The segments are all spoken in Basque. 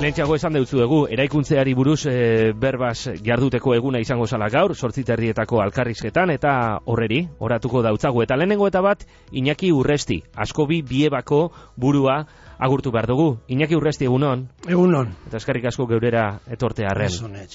Lehentxeago esan deutzuegu, eraikuntzeari buruz berbaz jarduteko eguna izango zala gaur, 8:00 alkarrizketan, eta oratuko dautzagu. Eta lehenengo eta bat, Iñaki Urresti, Askobi Biebako burua agurtu behar dugu. Iñaki Urresti, egunon? Egunon. Eta eskerrik asko geurera etorte arren.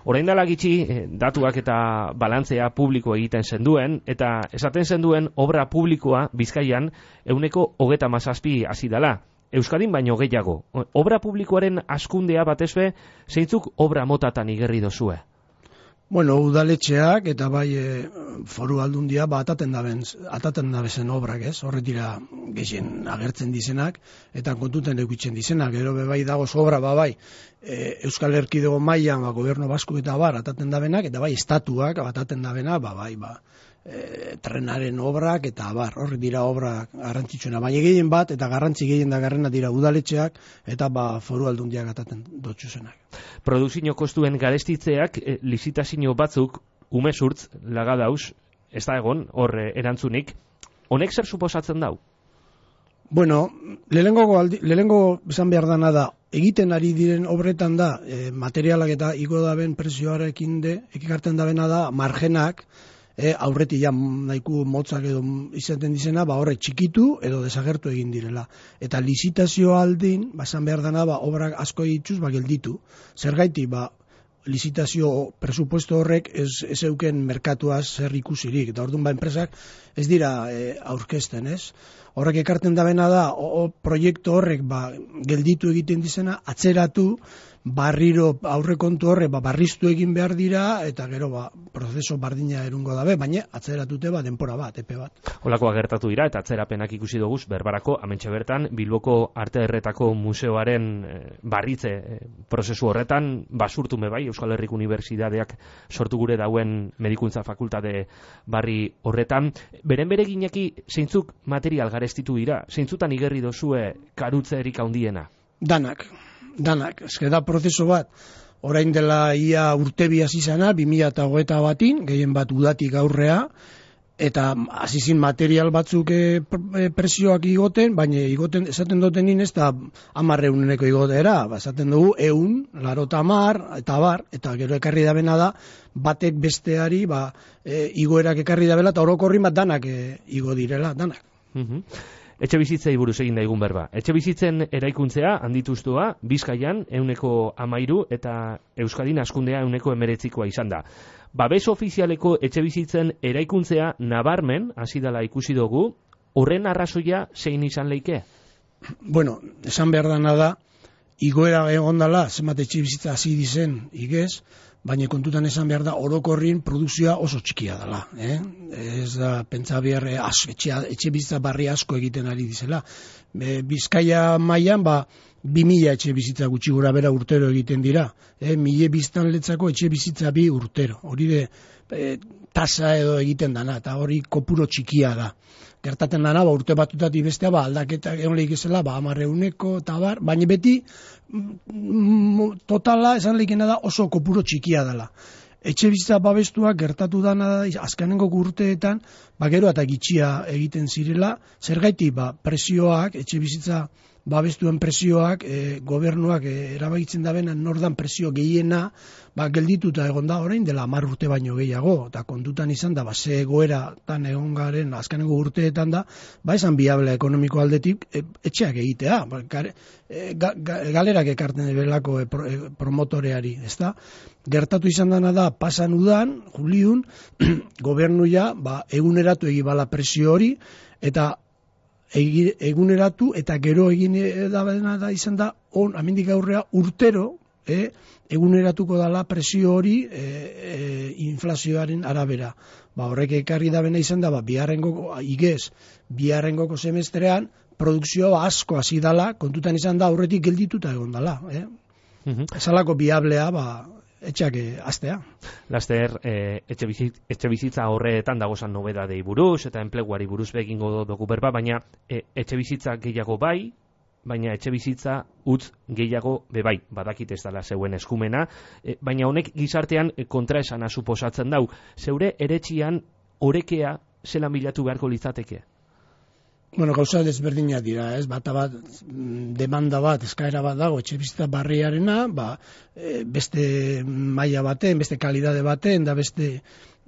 Orain dela gitxi, datuak eta balantzea publiko egiten zenduen, eta esaten zenduen obra publikoa Bizkaian 37% hasi dela. Euskadin baino gehiago. Obra publikoaren hazkundea batezbe, zeintzuk obra motatan igerri dozue? Bueno, udaletxeak eta bai foru aldundia ataten dabezen obrak, ez? Horret dira gehien agertzen dizenak eta kontuten edukitzen dizenak. Gero bai dagoz obra bai Euskal Erkidego mailan gobernu basko eta ataten dabenak, eta bai estatuak ataten dabena trenaren obrak eta horri dira obrak garrantzitsuena, baina gehien bat eta garrantzi gehien da garrena dira udaletxeak eta foru aldundiak ataten dotxuzenak. Produkzio kostuen garestitzeak lizitazio batzuk umezurtz lagadauz, ez da egon hor erantzunik, honek zer suposatzen dau? Bueno, lehenengo esan behar dana da, egiten ari diren obretan da, materialak eta igo daben prezioarekin ekikarten dabena da, margenak, aurretik nahiko motzak edo izaten dizena, horre txikitu edo desagertu egin direla. Eta lizitazio aldin, esan behar dana, obrak asko egituz, gelditu. Zergaiti, lizitazio presupuesto horrek ez euken merkatuaz zer ikusirik. Eta orduan enpresak ez dira aurkezten, ez? Horrek ekarten dabena da, proiektu horrek gelditu egiten dizena, atzeratu, barriro aurrekontu horre barriztu egin behar dira, eta gero prozeso bardina erungo dabe, baina atzeratute denpora bat, epe bat. Holakoa gertatu dira, eta atzerapenak ikusi duguz, berbarako, hementxe bertan, Bilboko Arte Erretako Museoaren barritze prozesu horretan, basurtume bai, Euskal Herriko Unibertsitateak sortu gure dauen medikuntza fakultate barri horretan. Beren beregineki, zeintzuk material garestitu dira, zeintzutan igerri dozue karutzerik handiena? Danak, ezke da prozeso bat, orain dela ia urtebi hasi zana, 2021, gehien bat udatik aurrea, eta hasizin material batzuk presioak igoten, baina igoten, esaten duten ez da 10.000 igotera, esaten dugu 180, eta gero ekarri dabena da, batek besteari, igoerak ekarri dabela, eta orokorrin bat danak igo direla, danak. Etxe bizitzei buruz egin daigun berba. Etxe bizitzen eraikuntzea handituztua Bizkaian 13% eta Euskadin hazkundea 19% izan da. Babes ofizialeko etxe bizitzen eraikuntzea nabarmen hasi dela ikusi dugu, horren arrazoia zein izan leike? Bueno, esan behar dana da, igoera egon dela, zenbat etxe bizitza hasi dizen igez, baina kontutan esan behar da orokorrin produkzioa oso txikia dela. Ez da, pentsa behar etxe bizitza barri asko egiten ari dizela. Bizkaia mailan 2.000 etxe bizitza gutxi gora bera urtero egiten dira. 1.000 biztanletzako etxe bizitza 2 urtero. Hori tasa edo egiten dana, eta hori kopuro txikia da. Gertaten dana, urte batutatik bestea, aldaketa egon lehik ezela, 10.000 eta baina beti totala esan lehikena da oso kopuro txikia dela. Etxe bizitza babestuak gertatu dana da, azkenengo urteetan, gero eta gitxia egiten zirela, zergaiti presioak, etxe bizitza babestuen presioak, gobernuak erabakitzen dabena nordan presio gehiena, geldituta egon da orain dela 10 urte baino gehiago, eta kontutan izan da, ze egoera tan egon garen azkenengo urteetan da, esan biablea ekonomiko aldetik etxeak egitea, galerak ekarten belako promotoreari, ez da? Gertatu izan dana da, pasan udan, juliun, gobernuia eguneratu egibala presio hori, eta eguneratu eta gero egin da izan da amendik aurrea urtero eguneratuko dala presio hori inflazioaren arabera. Horrek ekarri da bena izan da biharrengoko semestrean produkzioa asko hasi dala, kontutan izan da aurretik geldituta egon dala. Esalako biablea etxeak astea. Laster, etxe bizitza horretan dagozan nobedadei buruz eta enpleguari buruz begingo dugu berba, baina etxe bizitza gehiago baina etxe bizitza utz gehiago bebai, badakit ez dela zeuen eskumena, baina honek gizartean kontraesana suposatzen dau. Zeure eretxian orekea zelan bilatu beharko litzateke? Bueno, gauza desberdinak dira, ez? Bat demanda bat, eskaera bat dago etxebizitza barriarena, beste maila baten, beste kalidade baten, da beste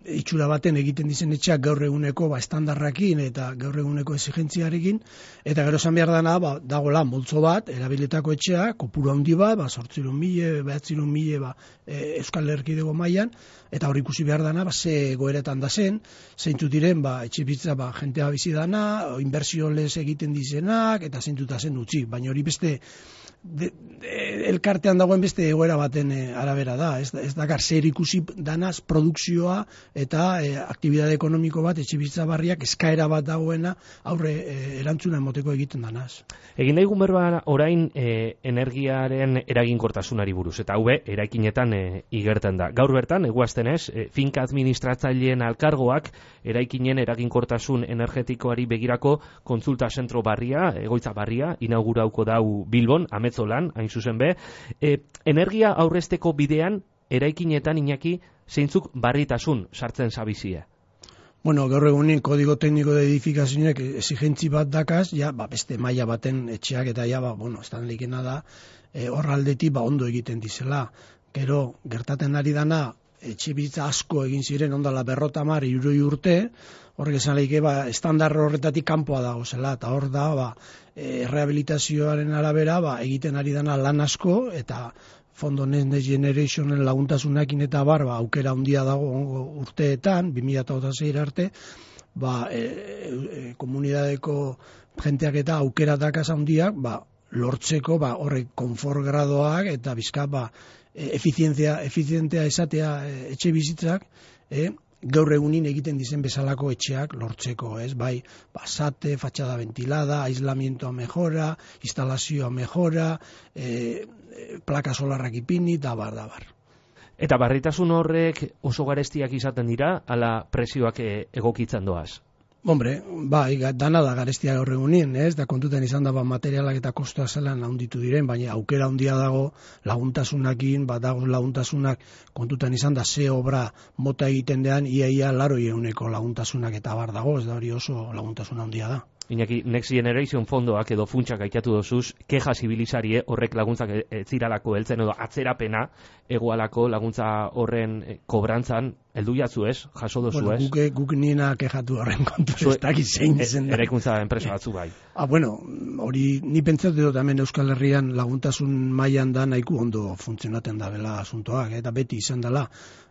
itxura baten egiten dizen etxeak gaur eguneko estandarrakin eta gaur eguneko exigentziarekin, eta gero esan behar dana, dagoela multzo bat, erabilitako etxea, kopuru handi bat, 800.000, 900.000 Euskal Erkidego mailan, eta hor ikusi behar dana, ze goeretan da zen, zeintzut diren, etxebizitza jentea bizi dana, inbertsio lez egiten dizenak, eta zeintzuta zen utzi, baina hori beste elkartean dagoen beste egoera baten arabera da, ez dakar zer ikusi danaz produkzioa eta aktibidade ekonomiko bat etxebizitza barriak eskaera bat dagoena aurre erantzuna emoteko egiten danaz. Egin daigun berba orain energiaren eraginkortasunari buruz, eta hau eraikinetan igertzen da. Gaur bertan, eguaztenez, finka administratzaileen alkargoak eraikinen eraginkortasun energetikoari begirako kontsulta zentro barria, egoitza barria, inaugurauko dau Bilbon, Ametzolan, hain zuzen be. Energia aurrezteko bidean, eraikinetan Iñaki, zeintzuk barritasun sartzen zabizie? Bueno, gaur egunin kodigo tekniko de edifikazioak exigentzi bat dakaz, beste maila baten etxeak eta estan likena da, hor aldetik ondo egiten dizela. Gero, gertaten ari dana, etxebizitza asko egin ziren ondala 50-60 urte, horrek esan lehike, estandar horretatik kanpoa dago zela, eta hor da, rehabilitazioaren arabera, egiten ari dana lan asko, eta Fondo Next Generationen laguntasunakin eta aukera handia dago urteetan, 2006 arte, komunidadeko jenteak eta aukera dakaz handiak, lortzeko, horrek konfort gradoak, eta bizka, efizientea esatea etxe bizitzak, gaur egunin egiten dizen bezalako etxeak lortzeko, ez? Sate, fatxada ventilada, aislamientoa mejora, instalazioa mejora, plaka solarrak ipini, dabar. Eta barritasun horrek oso garestiak izaten dira, ala presioak egokitzen doaz? Hombre, dana da garestia gaur egunin, ez? Da kontutan izan da materialak eta kostoa zelan handitu diren, baina aukera handia dago laguntasunakin, dago laguntasunak kontutan izan da ze obra mota egiten dean, ia 80% laguntasunak eta dago, ez da hori oso laguntasun handia da. Iñaki, Next Generation fondoak edo funtsak aitatu dozuz, keja zibilizarie horrek laguntzak ziralako heltzen edo atzerapena egoalako laguntza horren kobrantzan, heldu jatzu ez, jaso dozu ez? Guk nina kejatu horren kontu ez dakit zein zen. Eraikuntza enpresa batzu bai. Hori ni pentsatu dut hemen Euskal Herrian laguntasun mailan da nahiko ondo funtzionatzen da bela asuntoak, eta beti izan dela.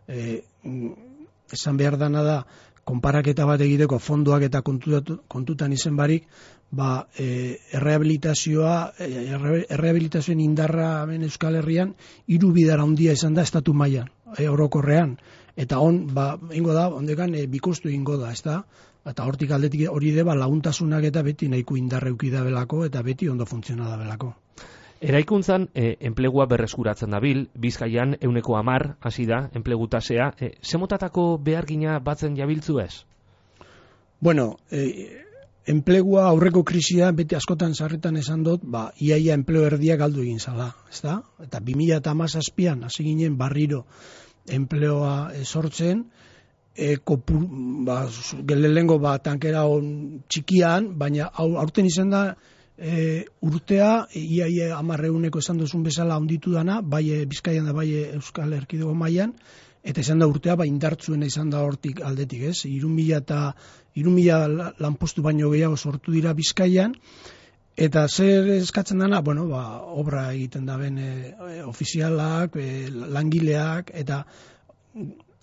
Esan behar dana da, konparaketa bat egiteko fondoak eta kontutan izen barik, errehabilitazioen indarra hemen Euskal Herrian 3 bidara handia izan da estatu mailan, orokorrean, eta ingo da, ondekan bikostu ingo da, ez da? Eta hortik aldetik hori deba laguntasunak eta beti nahiko indarra euki da belako, eta beti ondo funtziona da belako. Eraikuntzan, enplegua berreskuratzen dabil, Bizkaian 10% hasi da, enplegu tasea. Zemotatako behargina batzen jabiltzu ez? Bueno, enplegua aurreko krisia beti askotan sarretan esan dut, iaia enplegu erdia galdu egin zala, ezta? Eta 2017an hasi ginen barriro enplegoa sortzen, lehenengo tankera txikian, baina aurten izan da, urtea, iaia 10% esan duzun bezala handitu dana, bai Bizkaian da bai Euskal Erkidego mailan, eta izan da urtea indartzuena izan da hortik aldetik, ez? 3.000 lanpostu baino gehiago sortu dira Bizkaian, eta zer eskatzen dana, obra egiten da ben ofizialak, langileak, eta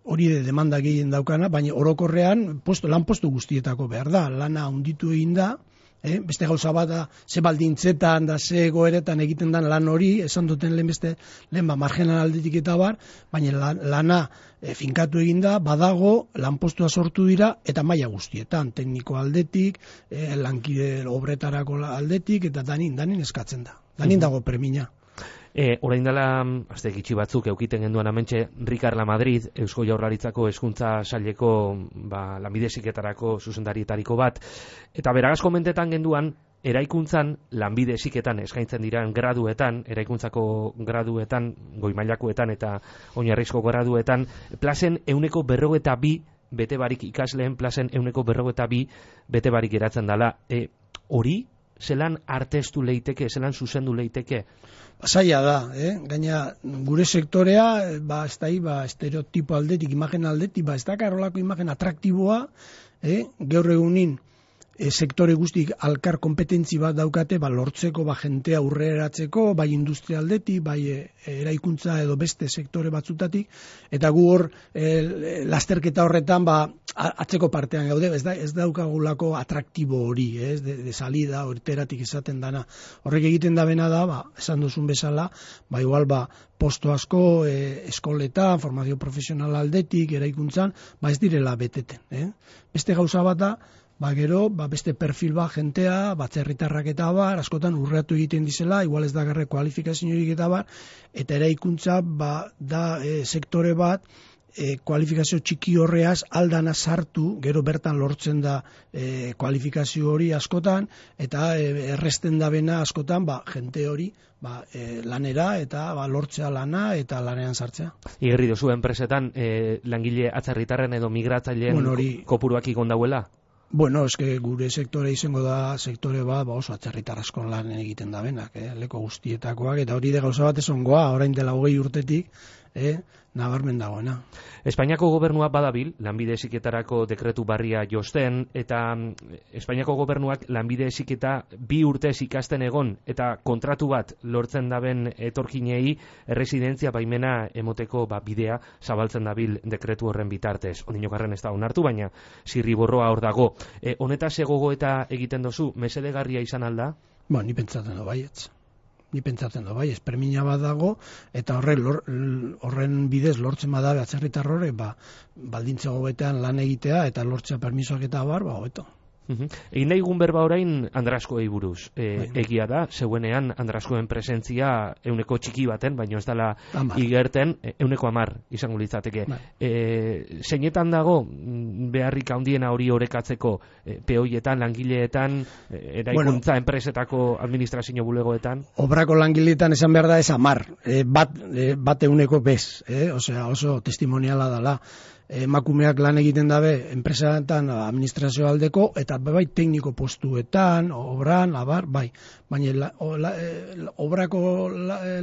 hori demanda gehien daukana, baina orokorrean lanpostu guztietako behar da, lana handitu egin da, beste gauza bat da, ze baldintzetan da, ze goeretan egiten dan lan hori, esan duten lehen margenan aldetik eta baina lana finkatu egin da, badago, lanpostua sortu dira, eta maila guztietan, tekniko aldetik, lankide obretarako aldetik, eta danin eskatzen da. Danin dago premina. Orain dela, azte gitxi batzuk, eukiten genduan amentxe, Ricard Lamadrid, Eusko Jaurlaritzako hezkuntza saileko lanbide heziketarako zuzendarietariko bat, eta beragaz komentetan genduan, eraikuntzan, lanbide heziketan eskaintzen diran graduetan, eraikuntzako graduetan, goi mailakoetan eta oinarrizko graduetan, plazen 42 bete barik ikasleen plazen 152 bete barik geratzen dela. Hori, zelan arteztu leiteke, zelan zuzendu leiteke? Zaila da, gaina gure sektorea, ez da, estereotipo aldetik, imagen aldetik, ez da karolako imagen atraktiboa, gaur egunin, sektore guztik alkar kompetentzi bat daukate, lortzeko, jentea urreratzeko, bai industria aldetik, bai eraikuntza edo beste sektore batzutatik, eta gu hor lasterketa horretan atzeko partean gaude, ez daukagulako atraktibo hori, de salida, horteratik esaten dana. Horrek egiten da bena da, esan duzun bezala, igual posto asko eskoletan, formazio profesional aldetik, eraikuntzan, ez direla beteten. Beste gauza bat da, gero, beste perfil jentea, batzerritarrak eta askotan urreatu egiten dizela, igual ez da garre kualifikaziorik eta eta eraikuntza da sektore bat, kualifikazio txiki horreaz aldana sartu, gero bertan lortzen da kualifikazio hori askotan, eta erresten da bena askotan, jente hori lanera eta lortzea lana eta lanean sartzea. Igerri dozu enpresetan langile atzerritarren edo migratzaileen kopuruak igon dauela? Bueno, eske gure sektore izango da sektore bat oso atzerritar asko lan egiten da benak, leko guztietakoak, eta hori de gauza bat esongoa, orain dela 20 urtetik, nabarmen dagoena. Espainiako gobernua badabil, lanbide heziketarako dekretu barria josten, eta Espainiako gobernuak lanbide heziketa 2 urtez ikasten egon, eta kontratu bat lortzen daben etorkinei erresidentzia baimena emoteko bidea zabaltzen dabil dekretu horren bitartez. Ondinokarren ez da onartu, baina zirriborroa hor dago. Honetaz gogo eta egiten dozu, mesedegarria izan alda? Ni pentsatzen do baietz. Espermina bat dago, eta horren bidez lortzen badabe atzerritar horre, baldintza gobetean lan egitea, eta lortzea permisoak eta hobeto. Egin daigun berba orain Andraskoei buruz. Egia da, zeuenean Andraskoen presentzia euneko txiki baten, baina ez dela igerten, euneko 10 izango litzateke. Zeinetan dago beharrik handiena hori orekatzeko, peoietan, langileetan, eraikuntza enpresetako administrazio bulegoetan? Obrako langileetan esan behar da ez 10, bat euneko bez, oso testimoniala dela. Emakumeak lan egiten dabe enpresaetan administrazio aldeko eta tekniko postuetan, obran, baina obrako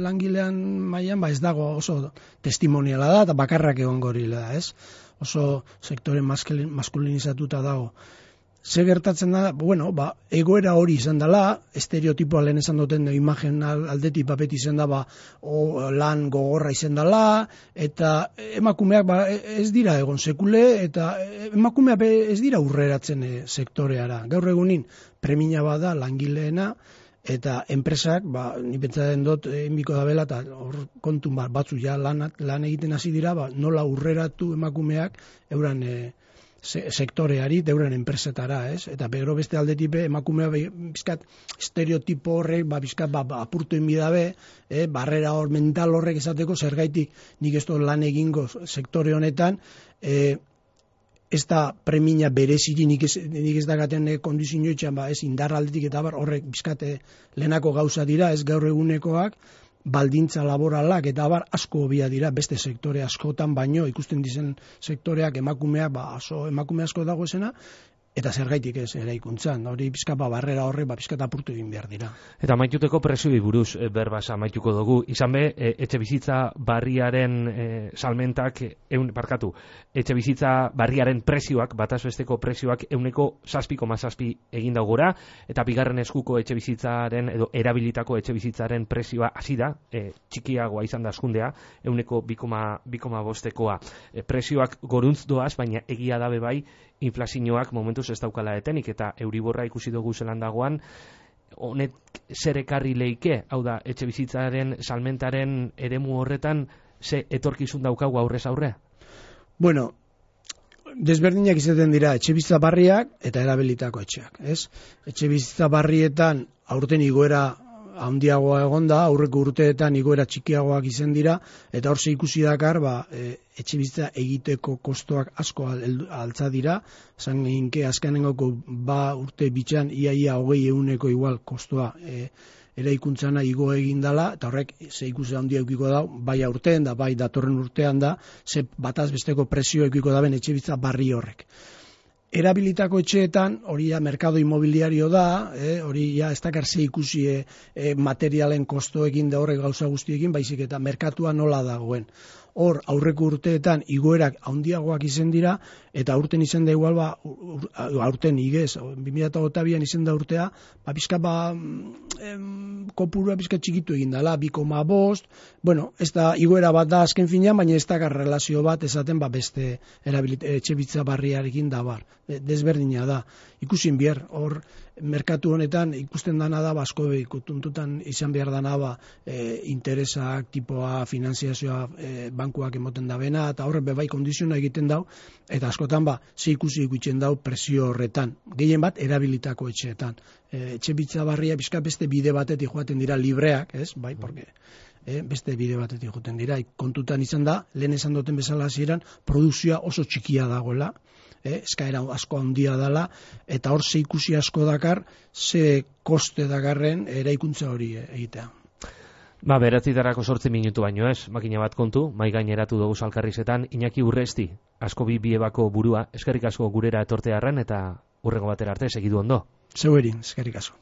langilean mailan ez dago oso testimoniala da eta bakarrak egon gorila da, oso sektore maskulinizatuta dago. Ze gertatzen da, egoera hori izan dela, estereotipoa lehen esan duten imagen aldetik beti izan da, lan gogorra izan dela, eta emakumeak ez dira egon sekule, eta emakumeak ez dira urreratzen sektoreara. Gaur egunin premina bada langileena, eta enpresak, ni pentsatzen dut, enbiko da bela, eta hor kontun batzu lan egiten hasi dira, nola urreratu emakumeak euran sektoreari, deuren enpresetara, eta gero beste aldetik emakumea bizkat estereotipo horrek, bizkat apurtu enbidabe, barrera hor mental horrek esateko, zergaitik nik ez lan egingo sektore honetan, ez da premina bereziri nik ez dakaten kondizioetxean, ez indar aldetik eta horrek bizkat lehenako gauza dira, ez gaur egunekoak, baldintza laboralak eta asko hobia dira beste sektore askotan, baino ikusten dizen sektoreak emakumeak emakume asko dago esena, eta zergaitik ez eraikuntzan, hori pizka barrera horre pizka apurtu egin behar dira. Eta maituteko prezioi buruz berbaz amaituko dugu, izan be, etxe bizitza barriaren salmentak, etxe bizitza barriaren prezioak, batazbesteko prezioak 7,7 egin daugora, eta bigarren eskuko etxe bizitzaren edo erabilitako etxe bizitzaren prezioa hasi da, txikiagoa izan da askundea, 2,5koa. Prezioak goruntz doaz, baina egia dabe bai, inflazioak momentuz ez daukala etenik, eta euriborra ikusi dugu zelan dagoan, honet zer ekarri leike, hau da, etxe bizitzaren salmentaren eremu horretan, ze etorkizun daukagu aurrez aurre? Desberdinak izaten dira etxe bizitza barriak eta erabilitako etxeak, ez? Etxe bizitza barrietan aurten igoera handiagoa egonda, aurreko urteetan igoera txikiagoak izan dira, eta hor ikusi dakar, etxebizitza egiteko kostoak asko altza dira, zan ginke azkenengoko urte bitxan iaia 20% igual kostoa eraikuntzana igo egin dela, eta horrek ze ikusi handia eukiko da, bai aurten da, bai datorren urtean da, ze bataz besteko presio eukiko daben etxebizitza barri horrek. Erabilitako etxeetan, hori ja merkado inmobiliario da, hori ja ez dakar ze ikusi materialen kostoekin da horrek gauza guztiekin, baizik eta merkatua nola dagoen. Hor, aurreko urteetan igoerak handiagoak izan dira, eta aurten izan da igual, aurten igez, 2022an izan da urtea, pizka kopurua pizka txikitu egin dela, 2,5, bueno, ez da igoera bat da azken finean, baina ez da relazio bat esaten beste etxebitza barriarekin da bar. Desberdina da. Ikusin bier, hor, merkatu honetan ikusten dana da, asko ikutuntutan izan behar dana, interesak, tipoa, finanziazioa, bankuak emoten da bena, eta horre bebai kondiziona egiten dau, eta askotan ze ikusi ikutzen dau presio horretan. Gehien bat, erabilitako etxeetan. Etxebitza barria bizka beste bide batetik joaten dira libreak, ez? Bai, porque beste bide batetik joaten dira. Kontutan izan da, lehen esan duten bezala hasieran, produkzioa oso txikia dagoela, eskaera asko handia dela, eta hor ze ikusi asko dakar, ze koste dakarren eraikuntza hori egitea. Beratzitarako 8 minutu baino ez, makina bat kontu, mai gaineratu dugu Alkarrizetan, Iñaki Urresti, asko biebako burua, eskerrik asko gurera etortearren, eta hurrengo batera arte, segidu ondo. Zeu erin, eskerrik asko.